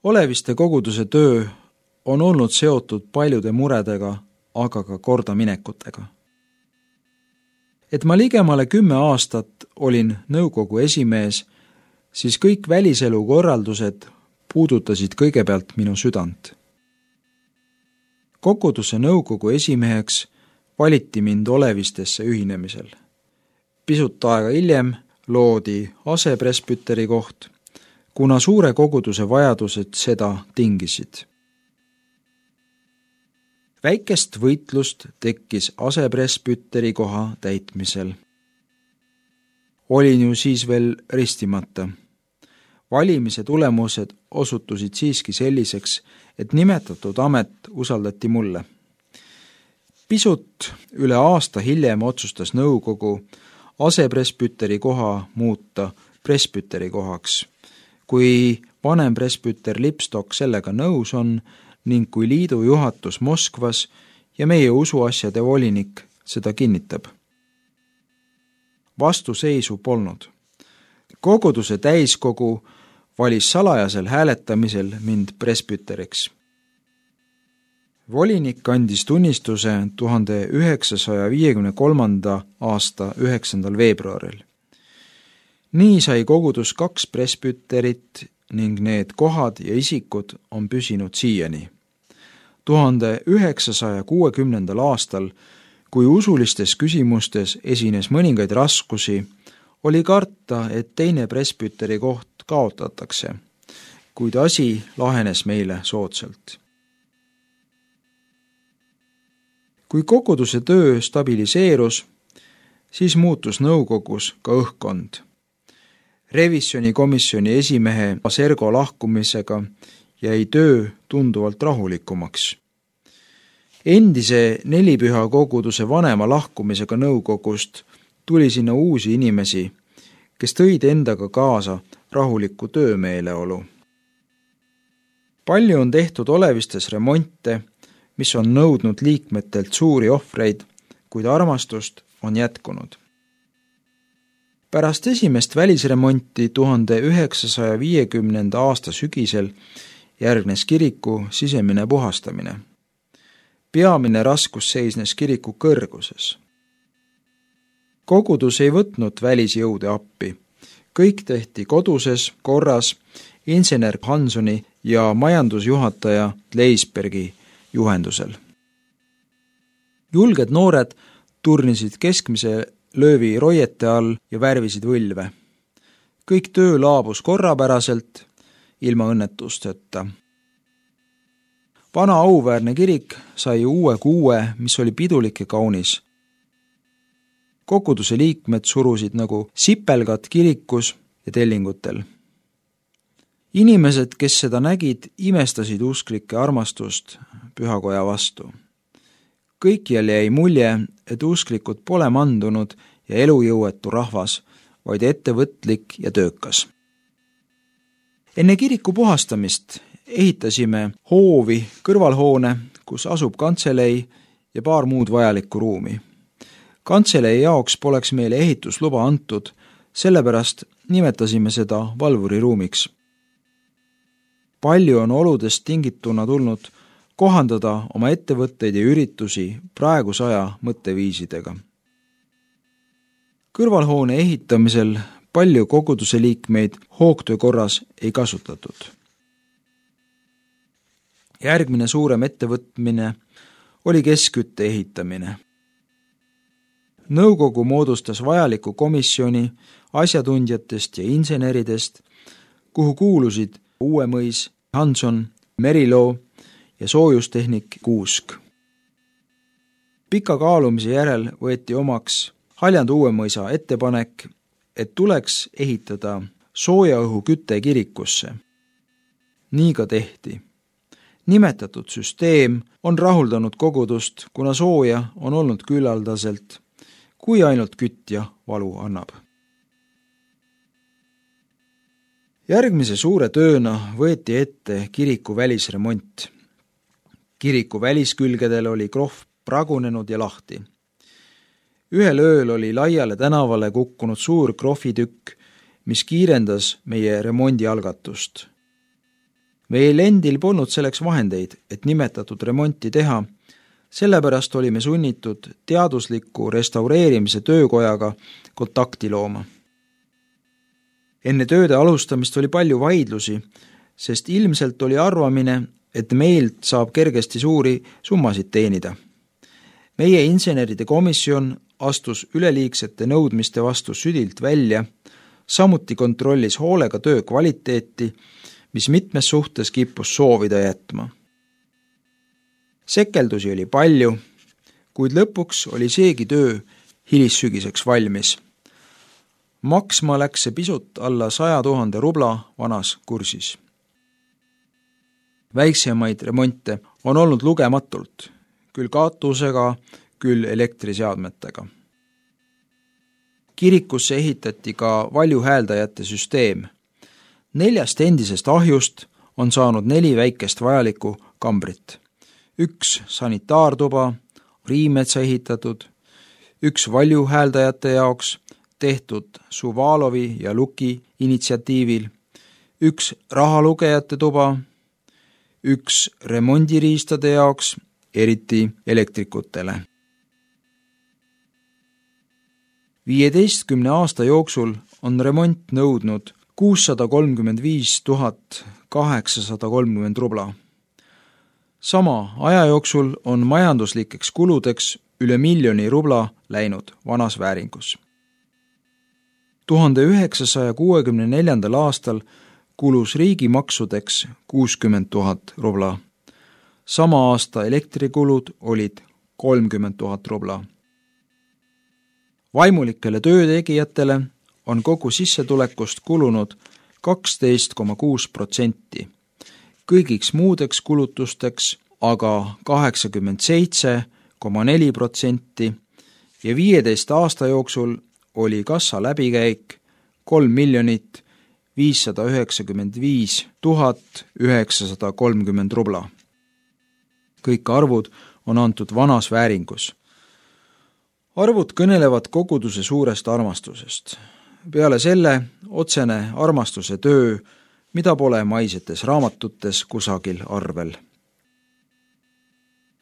Oleviste koguduse töö on olnud seotud paljude muredega, aga ka kordaminekutega. Et ma ligemale 10 aastat olin nõukogu esimees, siis kõik väliselu korraldused puudutasid kõigepealt minu südant. Koguduse nõukogu esimeheks valiti mind Olevistesse ühinemisel. Pisut aega hiljem loodi asepresbüteri koht, kuna suure koguduse vajadused seda tingisid. Väikest võitlust tekkis asepresbüteri koha täitmisel. Olin ju siis veel ristimata. Valimise tulemused osutusid siiski selliseks, et nimetatud amet usaldati mulle. Pisut üle aasta hiljem otsustas nõukogu asepresbüteri koha muuta presbüteri kohaks, kui vanem presbüter Lipstok sellega nõus on ning kui liidu juhatus Moskvas ja meie usuasjade volinik seda kinnitab. Vastuseisu polnud. Koguduse täiskogu valis salajasel hääletamisel mind presbüteriks. Volinik andis tunnistuse 1953. aasta 9. veebruaril. Nii sai kogudus 2 presbüterit ning need kohad ja isikud on püsinud siiani. 1960. aastal, kui usulistes küsimustes esines mõningaid raskusi, oli karta, et teine presbüteri koht kaotatakse, kuid asi lahenes meile soodsalt. Kui koguduse töö stabiliseerus, siis muutus nõukogus ka õhkkond. Revisjonikomisjoni esimehe Sergo lahkumisega jäi töö tunduvalt rahulikumaks. Endise nelipüha koguduse vanema lahkumisega nõukogust tuli sinna uusi inimesi, kes tõid endaga kaasa rahuliku töömeeleolu. Palju on tehtud Olevistes remonte, mis on nõudnud liikmetelt suuri ohvreid, kuid armastust on jätkunud. Pärast esimest välisremonti 1950. aasta sügisel järgnes kiriku sisemine puhastamine. Peamine raskus seisnes kiriku kõrguses. Kogudus ei võtnud välisjõude appi. Kõik tehti koduses korras insener Hansoni ja majandusjuhataja Leisbergi juhendusel. Julged noored turnisid keskmise löövi roiete all ja värvisid võlve. Kõik töö laabus korrapäraselt, ilma õnnetusteta. Vana auväärne kirik sai uue kuue, mis oli pidulik ja kaunis. Koguduse liikmed surusid nagu sipelgad kirikus ja tellingutel. Inimesed, kes seda nägid, imestasid usklike armastust pühakoja vastu. Kõikjal jäi mulje, et usklikud pole mandunud ja elujõuetu rahvas, vaid ettevõtlik ja töökas. Enne kiriku puhastamist ehitasime hoovi kõrvalhoone, kus asub kantselei ja paar muud vajalikku ruumi. Kantselei jaoks poleks meile ehitusluba antud, sellepärast nimetasime seda valvuriruumiks. Palju on oludest tingituna tulnud kohandada oma ettevõtteid ja üritusi praeguse aja mõtteviisidega. Kõrvalhoone ehitamisel palju koguduse liikmeid hoogtöö korras ei kasutatud. Järgmine suurem ettevõtmine oli keskkütte ehitamine. Nõukogu moodustas vajaliku komisjoni asjatundjatest ja inseneridest, kuhu kuulusid Uuemõis, Hanson, Meriloo ja soojustehnik Kuusk. Pika kaalumise järel võeti omaks Haljand Uuemõisa ettepanek, et tuleks ehitada soojaõhu küte kirikusse. Nii ka tehti. Nimetatud süsteem on rahuldanud kogudust, kuna sooja on olnud küllaldaselt, kui ainult kütja valu annab. Järgmise suure tööna võeti ette kiriku välisremont. Kiriku väliskülgedel oli krohv pragunenud ja lahti. Ühel ööl oli laiale tänavale kukkunud suur krohvitükk, mis kiirendas meie remondi algatust. Meil endil polnud selleks vahendeid, et nimetatud remonti teha, sellepärast olime sunnitud teadusliku restaureerimise töökojaga kontakti looma. Enne tööde alustamist oli palju vaidlusi, sest ilmselt oli arvamine, et meilt saab kergesti suuri summasid teenida. Meie inseneride komisjon astus üleliigsete nõudmiste vastu südilt välja, samuti kontrollis hoolega töö kvaliteeti, mis mitmes suhtes kippus soovida jätma. Sekeldusi oli palju, kuid lõpuks oli seegi töö hilissügiseks valmis. Maksma läks see pisut alla 100 000 rubla vanas kursis. Väiksemaid remonte on olnud lugematult, küll katusega, küll elektriseadmetega. Kirikusse ehitati ka valjuhääldajate süsteem. 4 endisest ahjust on saanud 4 väikest vajalikku kambrit. 1 sanitaartuba, Riimetsa ehitatud, 1 valjuhääldajate jaoks tehtud Suvalovi ja Luki initsiatiivil, 1 rahalugejate tuba, 1 remondiriistade jaoks, eriti elektrikutele. 15 aasta jooksul on remont nõudnud 635 830 rubla. Sama aja jooksul on majanduslikeks kuludeks üle 1 miljoni rubla läinud vanas vääringus. 1964. aastal kulus riigimaksudeks 60 000 rubla. Sama aasta elektrikulud olid 30 000 rubla. Vaimulikele töötegijatele on kogu sissetulekust kulunud 12,6%, kõigiks muudeks kulutusteks aga 87,4% ja 15 aasta jooksul oli kassa läbikäik 3 595 930 rubla. Kõik arvud on antud vanas vääringus. Arvud kõnelevad koguduse suurest armastusest. Peale selle otsene armastuse töö, mida pole maisetes raamatutes kusagil arvel.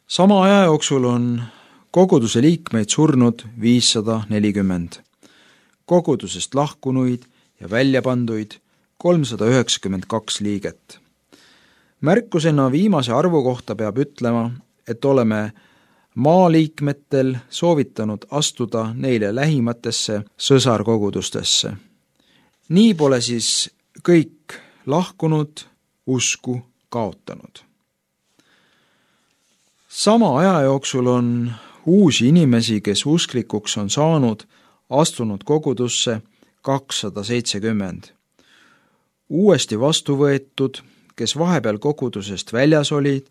Sama aja jooksul on koguduse liikmeid surnud 540, kogudusest lahkunuid ja väljapanduid 392 liiget. Märkusena viimase arvu kohta peab ütlema, et oleme maaliikmetel soovitanud astuda neile lähimatesse sõsarkogudustesse. Nii pole siis kõik lahkunud usku kaotanud. Sama aja jooksul on uusi inimesi, kes usklikuks on saanud, astunud kogudusse 270. Uuesti vastu võetud, kes vahepeal kogudusest väljas olid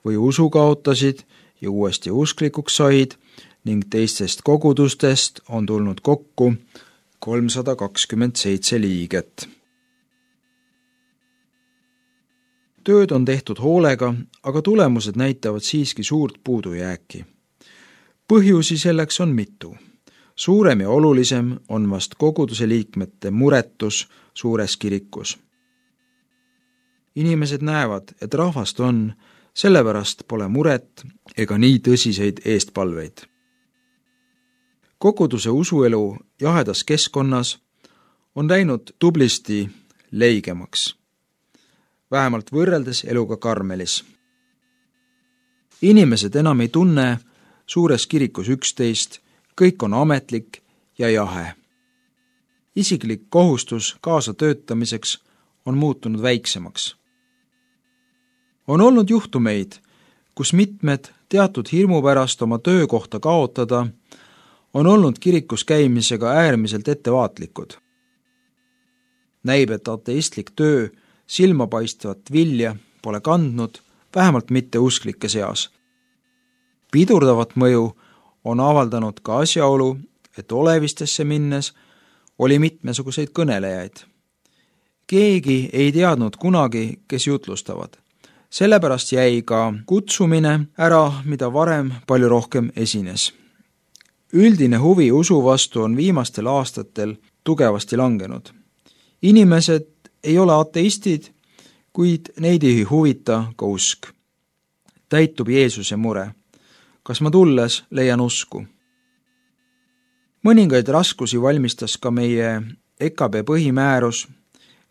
või usu kaotasid ja uuesti usklikuks said ning teistest kogudustest on tulnud kokku 327 liiget. Tööd on tehtud hoolega, aga tulemused näitavad siiski suurt puudujääki. Põhjusi selleks on mitu. Suurem ja olulisem on vast koguduse liikmete muretus suures kirikus. Inimesed näevad, et rahvast on, sellepärast pole muret ega nii tõsiseid eestpalveid. Koguduse usuelu jahedas keskkonnas on läinud tublisti leigemaks, vähemalt võrreldes eluga Karmelis. Inimesed enam ei tunne suures kirikus üksteist, kõik on ametlik ja jahe. Isiklik kohustus kaasa töötamiseks on muutunud väiksemaks. On olnud juhtumeid, kus mitmed teatud hirmu pärast oma töökohta kaotada on olnud kirikus käimisega äärmiselt ettevaatlikud. Näib, et ateistlik töö silmapaistvat vilja pole kandnud, vähemalt mitte usklike seas. Pidurdavat mõju on avaldanud ka asjaolu, et olevistesse minnes oli mitmesuguseid kõnelejaid. Keegi ei teadnud kunagi, kes jutlustavad. Sellepärast jäi ka kutsumine ära, mida varem palju rohkem esines. Üldine huvi usu vastu on viimastel aastatel tugevasti langenud. Inimesed ei ole ateistid, kuid neid ei huvita ka usk. Täitub Jeesuse mure. Kas ma tulles leian usku? Mõningaid raskusi valmistas ka meie EKB põhimäärus,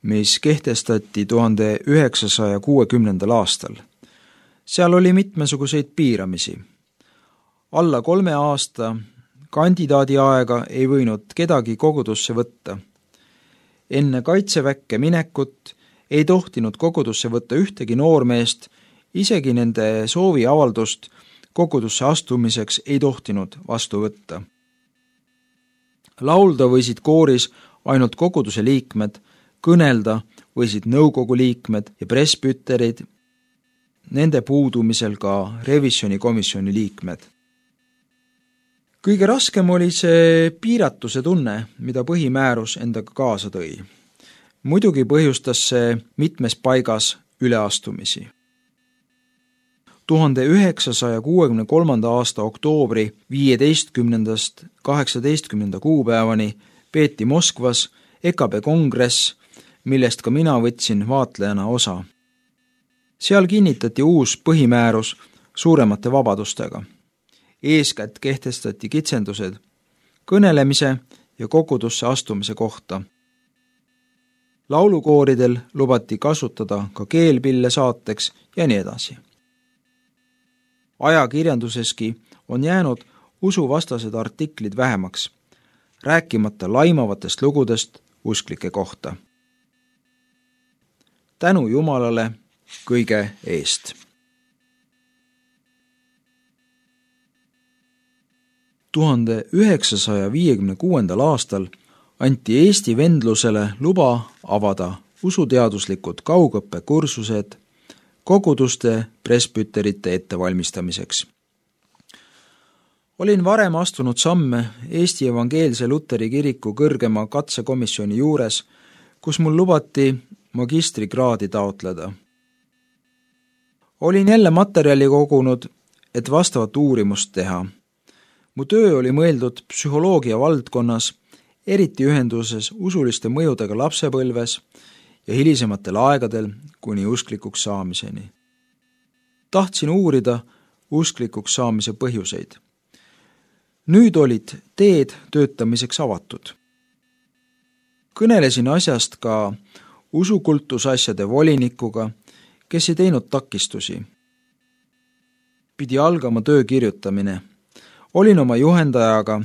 mis kehtestati 1960. aastal. Seal oli mitmesuguseid piiramisi. Alla 3 aasta kandidaadi aega ei võinud kedagi kogudusse võtta. Enne kaitseväkke minekut ei tohtinud kogudusse võtta ühtegi noormeest, isegi nende sooviavaldust kogudusse astumiseks ei tohtinud vastu võtta. Laulda võisid kooris ainult koguduse liikmed, kõnelda võisid nõukogu liikmed ja presbüterid, nende puudumisel ka revisjonikomisjoni liikmed. Kõige raskem oli see piiratuse tunne, mida põhimäärus endaga kaasa tõi. Muidugi põhjustas see mitmes paigas üleastumisi. 1963. aasta oktoobri 15. 18. kuupäevani peeti Moskvas EKB kongress, millest ka mina võtsin vaatlejana osa. Seal kinnitati uus põhimäärus suuremate vabadustega. Eeskätt kehtestati kitsendused kõnelemise ja kogudusse astumise kohta. Laulukooridel lubati kasutada ka keelpille saateks ja nii edasi. Ajakirjanduseski on jäänud usuvastased artiklid vähemaks, rääkimata laimavatest lugudest usklike kohta. Tänu Jumalale kõige eest. 1956. aastal anti Eesti vendlusele luba avada usuteaduslikud kaugõppekursused koguduste presbüterite ettevalmistamiseks. Olin varem astunud samme Eesti Evangeelse Luteri Kiriku kõrgema katsekomisjoni juures, kus mul lubati magistrikraadi taotleda. Olin jälle materjali kogunud, et vastavat uurimust teha. Mu töö oli mõeldud psühholoogia valdkonnas, eriti ühenduses usuliste mõjudega lapsepõlves ja hilisematel aegadel kuni usklikuks saamiseni. Tahtsin uurida usklikuks saamise põhjuseid. Nüüd olid teed töötamiseks avatud. Kõnelesin asjast ka usukultusasjade volinikuga, kes ei teinud takistusi. Pidi algama töö kirjutamine. Olin oma juhendajaga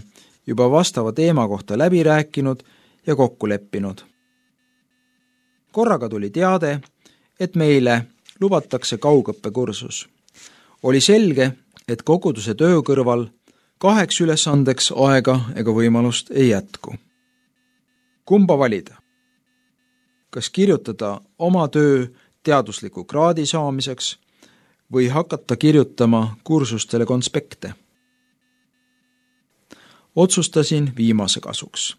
juba vastava teema kohta läbi rääkinud ja kokku leppinud. Korraga tuli teade, et meile lubatakse kaugõppekursus. Oli selge, et koguduse töö kõrval 2 ülesandeks aega ega võimalust ei jätku. Kumba valida? Kas kirjutada oma töö teadusliku kraadi saamiseks või hakata kirjutama kursustele konspekte? Otsustasin viimase kasuks.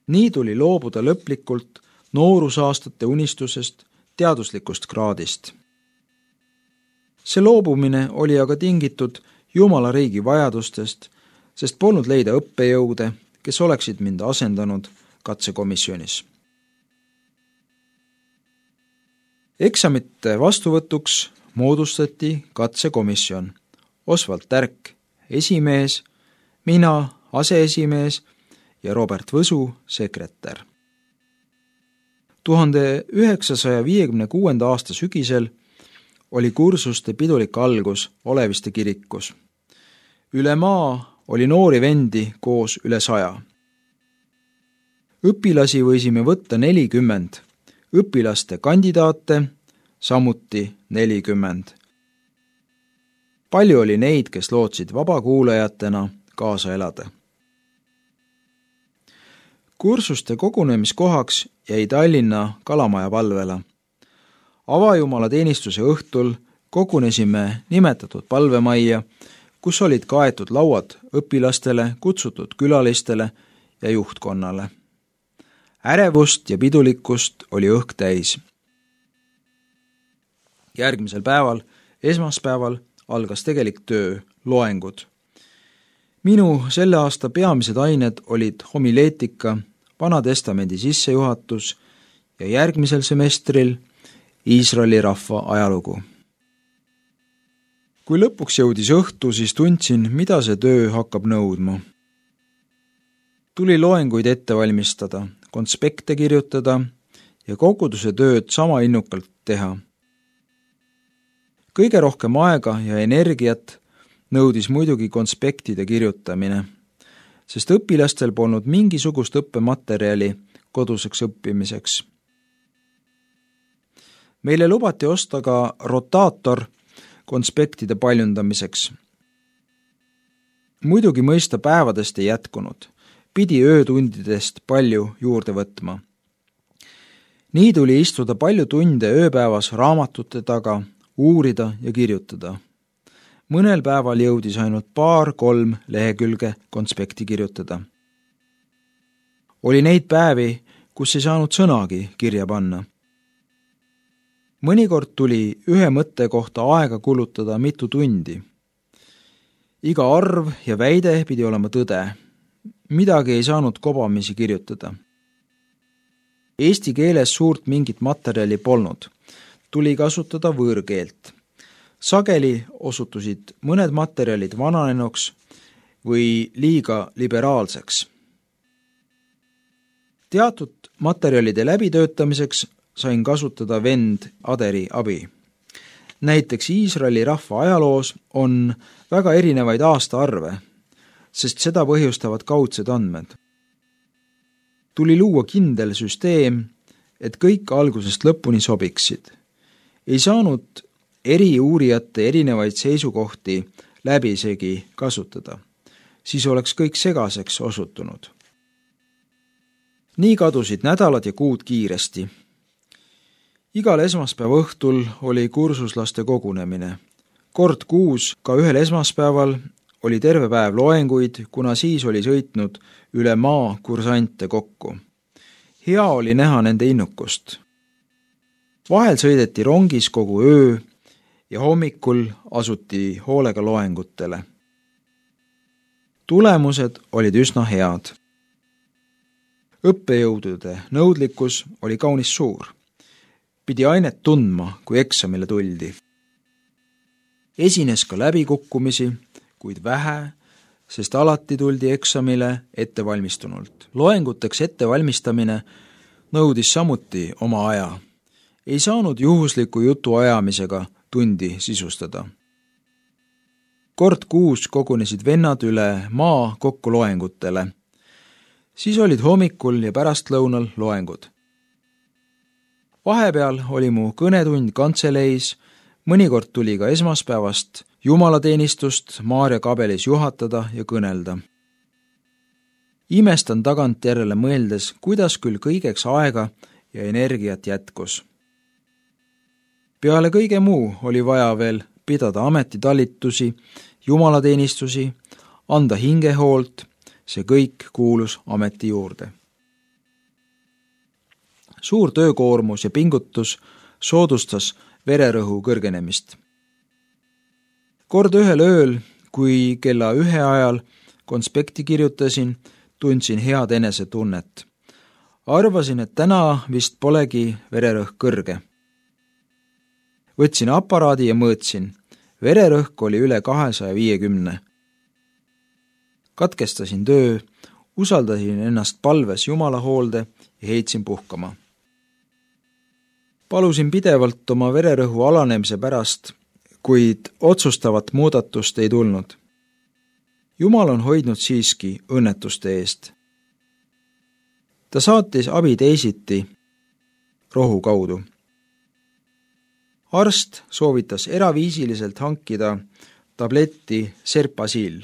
Nii tuli loobuda lõplikult noorusaastate unistusest teaduslikust kraadist. See loobumine oli aga tingitud Jumala riigi vajadustest, sest polnud leida õppejõude, kes oleksid mind asendanud katsekomisjonis. Eksamite vastuvõtuks moodustati katsekomisjon. Osvald Tärk, esimees, mina, aseesimees ja Robert Võsu, sekretär. 1956. aasta sügisel oli kursuste pidulik algus Oleviste kirikus. Üle maa oli noori vendi koos üle 100. Õpilasi võisime võtta 40, õpilaste kandidaate samuti 40. Palju oli neid, kes lootsid vabakuulajatena kaasa elada. Kursuste kogunemiskohaks jäi Tallinna Kalamaja palvela. Avajumala teenistuse õhtul kogunesime nimetatud palvemajja, kus olid kaetud lauad õpilastele, kutsutud külalistele ja juhtkonnale. Ärevust ja pidulikkust oli õhk täis. Järgmisel päeval, esmaspäeval, algas tegelik töö, loengud. Minu selle aasta peamised ained olid homileetika, Vana Testamendi sissejuhatus ja järgmisel semestril Iisraeli rahva ajalugu. Kui lõpuks jõudis õhtu, siis tundsin, mida see töö hakkab nõudma. Tuli loenguid ette valmistada, konspekte kirjutada ja koguduse tööd sama innukalt teha. Kõige rohkem aega ja energiat nõudis muidugi konspektide kirjutamine, sest õpilastel polnud mingisugust õppematerjali koduseks õppimiseks. Meile lubati osta ka rotaator konspektide paljundamiseks. Muidugi mõista päevadest ei jätkunud, pidi öötundidest palju juurde võtma. Nii tuli istuda palju tunde ööpäevas raamatute taga, uurida ja kirjutada. Mõnel päeval jõudis ainult 2-3 lehekülge konspekti kirjutada. Oli neid päevi, kus ei saanud sõnagi kirja panna. Mõnikord tuli ühe mõtte kohta aega kulutada mitu tundi. Iga arv ja väide pidi olema tõde. Midagi ei saanud kobamisi kirjutada. Eesti keeles suurt mingit materjali polnud. Tuli kasutada võõrkeelt. Sageli osutusid mõned materjalid vananenuks või liiga liberaalseks. Teatud materjalide läbitöötamiseks sain kasutada vend Aderi abi. Näiteks Iisraeli rahva ajaloos on väga erinevaid aastaarve, sest seda põhjustavad kaudsed andmed. Tuli luua kindel süsteem, et kõik algusest lõpuni sobiksid. Ei saanud eri uurijate erinevaid seisukohti läbisegi kasutada, siis oleks kõik segaseks osutunud. Nii kadusid nädalad ja kuud kiiresti. Igal esmaspäeva õhtul oli kursuslaste kogunemine. Kord kuus, ka ühel esmaspäeval, oli terve päev loenguid, kuna siis oli sõitnud üle maa kursante kokku. Hea oli näha nende innukust. Vahel sõideti rongis kogu öö ja hommikul asuti hoolega loengutele. Tulemused olid üsna head. Õppejõudude nõudlikkus oli kaunis suur. Pidi ainet tundma, kui eksamile tuldi. Esines ka läbikukkumisi, kuid vähe, sest alati tuldi eksamile ettevalmistunult. Loenguteks ettevalmistamine nõudis samuti oma aja. Ei saanud juhusliku jutu ajamisega tundi sisustada. Kord kuus kogunesid vennad üle maa kokku loengutele. Siis olid hommikul ja pärastlõunal loengud. Vahepeal oli mu kõnetund kantseleis, mõnikord tuli ka esmaspäevast jumalateenistust Maarja kabelis juhatada ja kõnelda. Imestan tagantjärele mõeldes, kuidas küll kõigeks aega ja energiat jätkus. Peale kõige muu oli vaja veel pidada ametitalitusi, jumalateenistusi, anda hingehoolt, see kõik kuulus ameti juurde. Suur töökoormus ja pingutus soodustas vererõhu kõrgenemist. Kord ühel ööl, kui kella 1 ajal konspekti kirjutasin, tundsin head enesetunnet. Arvasin, et täna vist polegi vererõhk kõrge. Võtsin aparaadi ja mõõtsin. Vererõhk oli üle 250. Katkestasin töö, usaldasin ennast palves Jumala hoolde ja heitsin puhkama. Palusin pidevalt oma vererõhu alanemise pärast, kuid otsustavat muudatust ei tulnud. Jumal on hoidnud siiski õnnetuste eest. Ta saatis abi teisiti rohu kaudu. Arst soovitas eraviisiliselt hankida tabletti Serpasil,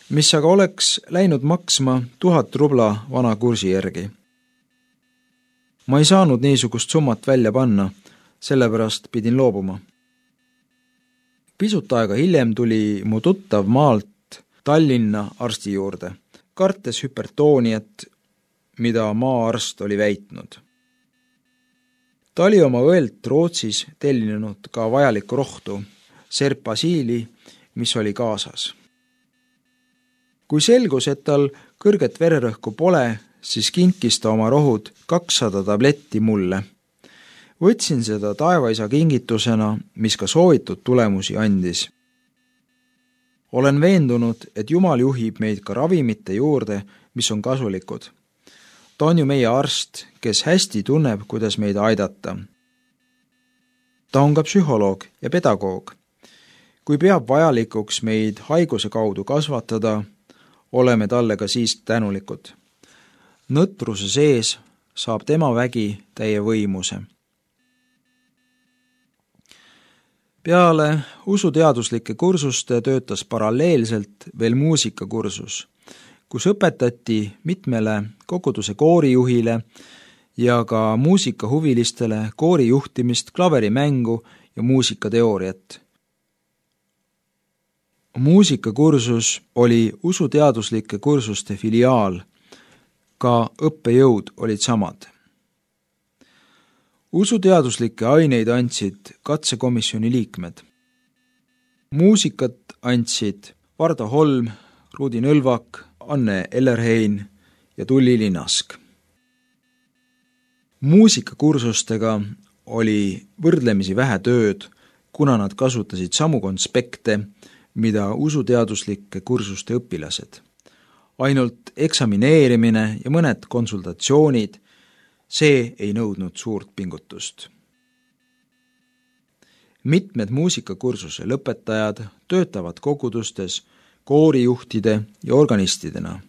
mis aga oleks läinud maksma 1000 rubla vana kursi järgi. Ma ei saanud niisugust summat välja panna, sellepärast pidin loobuma. Pisut aega hiljem tuli mu tuttav maalt Tallinna arsti juurde, kartes hüpertooniat, mida maaarst oli väitnud. Ta oli oma õelt Rootsis tellinud ka vajalikku rohtu, Serpasiili, mis oli kaasas. Kui selgus, et tal kõrget vererõhku pole, siis kinkis ta oma rohud 200 tabletti mulle. Võtsin seda taevaisa kingitusena, mis ka soovitud tulemusi andis. Olen veendunud, et Jumal juhib meid ka ravimite juurde, mis on kasulikud. Ta on ju meie arst, kes hästi tunneb, kuidas meid aidata. Ta on ka psühholoog ja pedagoog. Kui peab vajalikuks meid haiguse kaudu kasvatada, oleme talle ka siis tänulikud. Nõtruse sees saab tema vägi täie võimuse. Peale usuteaduslike kursuste töötas paralleelselt veel muusikakursus, kus õpetati mitmele koguduse koorijuhile ja ka muusikahuvilistele koorijuhtimist, klaverimängu ja muusikateooriat. Muusikakursus oli usuteaduslike kursuste filiaal, ka õppejõud olid samad. Usuteaduslikke aineid andsid katsekomisjoni liikmed. Muusikat andsid Vardo Holm, Rudi Nõlvak, Anne Ellerhein ja Tulli Linnask. Muusikakursustega oli võrdlemisi vähe tööd, kuna nad kasutasid samu konspekte, mida usuteaduslike kursuste õpilased. Ainult eksamineerimine ja mõned konsultatsioonid, see ei nõudnud suurt pingutust. Mitmed muusikakursuse lõpetajad töötavad kogudustes koorijuhtide ja organistidena.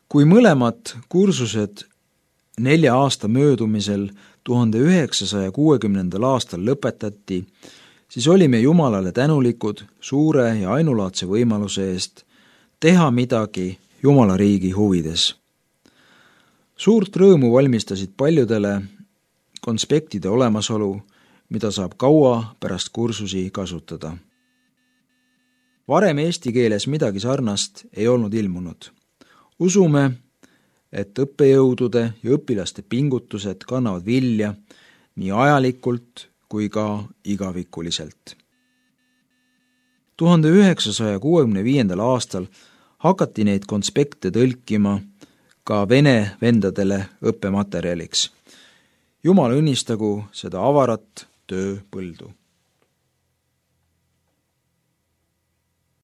Kui mõlemad kursused 4 aasta möödumisel 1960. aastal lõpetati, siis olime Jumalale tänulikud suure ja ainulaadse võimaluse eest teha midagi Jumala riigi huvides. Suurt rõõmu valmistasid paljudele konspektide olemasolu, mida saab kaua pärast kursusi kasutada. Varem eesti keeles midagi sarnast ei olnud ilmunud. Usume, et õppejõudude ja õpilaste pingutused kannavad vilja nii ajalikult kui ka igavikuliselt. 1965. aastal hakati neid konspekte tõlkima ka vene vendadele õppematerjaliks. Jumal õnnistagu seda avarat tööpõldu.